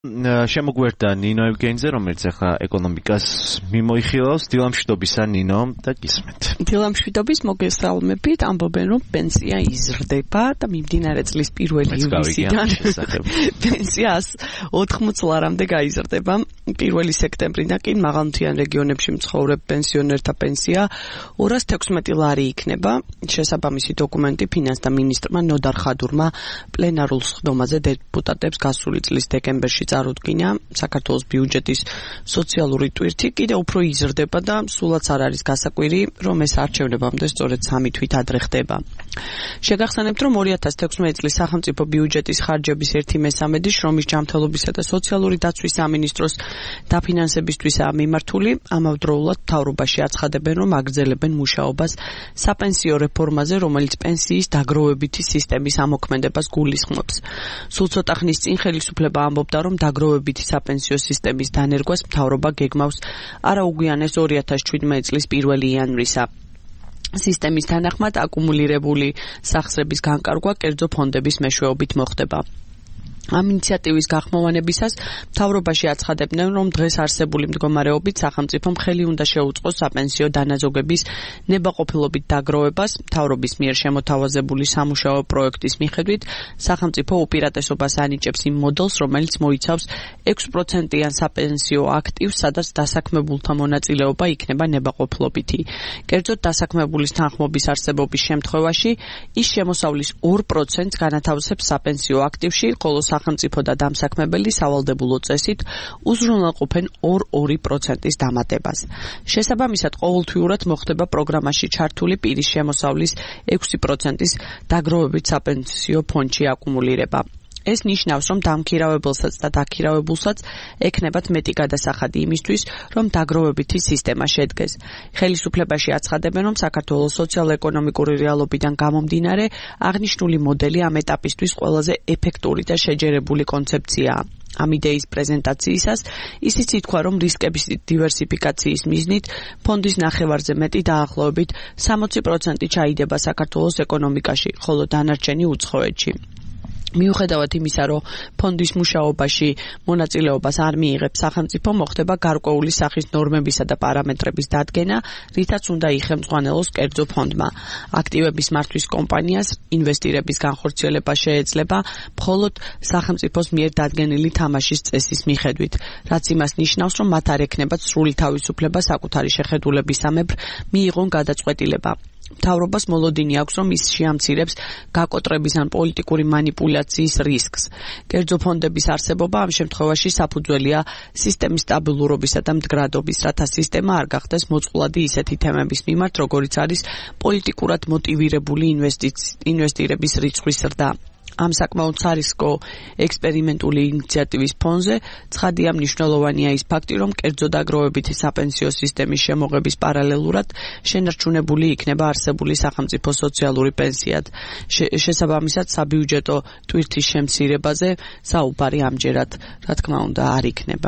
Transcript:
შემოგვერდა ნინო ევგენიძე, რომელიც ახლა ეკონომიკას მიმოიხილავს. დილამშვიდობისა ნინო და გისმენთ. დილამშვიდობის, მოგესალმებით. ამბობენ, რომ პენსია იზრდება და მიმდინარე წლის 1 ივლისიდან პენსია 180 ლარამდე გაიზრდება. 1 სექტემბრიდან კი მაღალმთიან რეგიონებში მცხოვრებ პენსიონერთა პენსია 216 ლარი იქნება. შესაბამისი დოკუმენტი ფინანსთა მინისტრმა ნოდარ ხადურმა პლენარულ სხდომაზე დეპუტატებს გასული წლის დეკემბერში წარუდგინა. საქართველოს ბიუჯეტის სოციალური ტვირთი კიდევ უფრო იზრდება და სულაც არ არის გასაკვირი, რომ ეს არჩევნებამდე სწორედ 3 თვით ადრე ხდება. შეგახსენებთ, რომ 2016 წლის სახელმწიფო ბიუჯეტის ხარჯების 1/3 შრომის ჯანმრთელობისა და სოციალური დაცვის სამინისტროს დაფინანსებისთვისაა მიმართული. ამავდროულად მთავრობაში აცხადებენ, რომ აგრძელებენ მუშაობას საპენსიო რეფორმაზე, რომელიც პენსიის დაგროვებითი სისტემის ამოქმედებას გულისხმობს. სულ ცოტა ხნის წინ ხელისუფლება ამბობდა, რომ დაგროვებითი საპენსიო სისტემის დანერგვას მთავრობა გეგმავს არაუგვიანეს 2017 წლის 1 იანვრისა. სისტემის თანახმად აკუმულირებული სახსრების განკარგვა კერძო ფონდების მეშვეობით მოხდება. ამ ინიციატივის გახმოვანებისას მთავრობაში აცხადებდნენ, რომ დღეს არსებული მდგომარეობით სახელმწიფომ ხელი უნდა შეუწყოს საპენსიო დანაზოგების ნებაყოფილობით დაგროვებას. მთავრობის მიერ შემოთავაზებული სამუშაო პროექტის მიხედვით სახელმწიფო უპირატესობას ანიჭებს იმ მოდელს, რომელიც მოიცავს 6%-იან საპენსიო აქტივს, სადაც დასაქმებულთა მონაწილეობა იქნება ნებაყოფილობითი. კერძოდ დასაქმებულის თანხმობის არსებობის შემთხვევაში ის შემოსავლის 2%-ს განათავსებს საპენსიო აქტივში, ხოლო სახელმწიფო და დამსაქმებელი სავალდებულო წესით უზრუნველყოფენ 2% დამატებას. შესაბამისად, ყოველთვიურად მოხდება პროგრამაში ჩართული პირის შემოსავლის 6%-ის დაგროვებით საპენსიო ფონდში აკუმულირება. ეს ნიშნავს, რომ დამქირავებელსაც და დაქირავებულსაც ექნებათ მეტი გადასახადი იმისთვის, რომ დაგროვებითი სისტემა შედგეს. ხელისუფლებაში აცხადებენ, რომ საქართველოს სოციალ-ეკონომიკური რეალობიდან გამომდინარე, აღნიშნული მოდელი ამ ეტაპისთვის ყველაზე ეფექტური და შეჯერებული კონცეფციაა. ამ იდეის პრეზენტაციისას ისიც ითქვა, რომ რისკების დივერსიფიკაციის მიზნით ფონდის ნახევარზე მეტი დაახლოებით 60% ჩაიდება საქართველოს ეკონომიკაში, ხოლო დანარჩენი უცხოეთში. მიუხედავად იმისა, რომ ფონდის მუშაობაში მონაწილეობას არ მიიღებს სახელმწიფო, მოხდება გარკვეული სახის ნორმებისა და პარამეტრების დადგენა, რითაც უნდა იხელმძღვანელოს კერძო ფონდმა. აქტივების მართვის კომპანიას ინვესტირების განხორციელება შეეძლება მხოლოდ სახელმწიფოს მიერ დადგენილი თამაშის წესის მიხედვით, რაც იმას ნიშნავს, რომ მათ არ ექნებათ სრული თავისუფლება საკუთარი შეხედულებისამებრ მიიღონ გადაწყვეტილება. მთავრობას მოლოდინი აქვს, რომ ის შეამცირებს გაკოტრების ან პოლიტიკური მანიპულაციის რისკს. კერძო ფონდების არსებობა ამ შემთხვევაში საფუძველია სისტემის სტაბილურობისა და მდგრადობის, რათა სისტემა არ გახდეს მოწყვლადი ისეთი თემების მიმართ, როგორიც არის პოლიტიკურად მოტივირებული ინვესტირების რიცხვის ზრდა. ამ საკმაოდ სარისკო ექსპერიმენტული ინიციატივის ფონზე ცხადია მნიშვნელოვანია ის ფაქტი, რომ კერძო დაგროვებითი საპენსიო სისტემის შემოღების პარალელურად შენარჩუნებული იქნება არსებული სახელმწიფო სოციალური პენსიად. შესაბამისად, საბიუჯეტო ტვირთის შემცირებაზე საუბარი ამჯერად, რა თქმა უნდა, არ იქნება.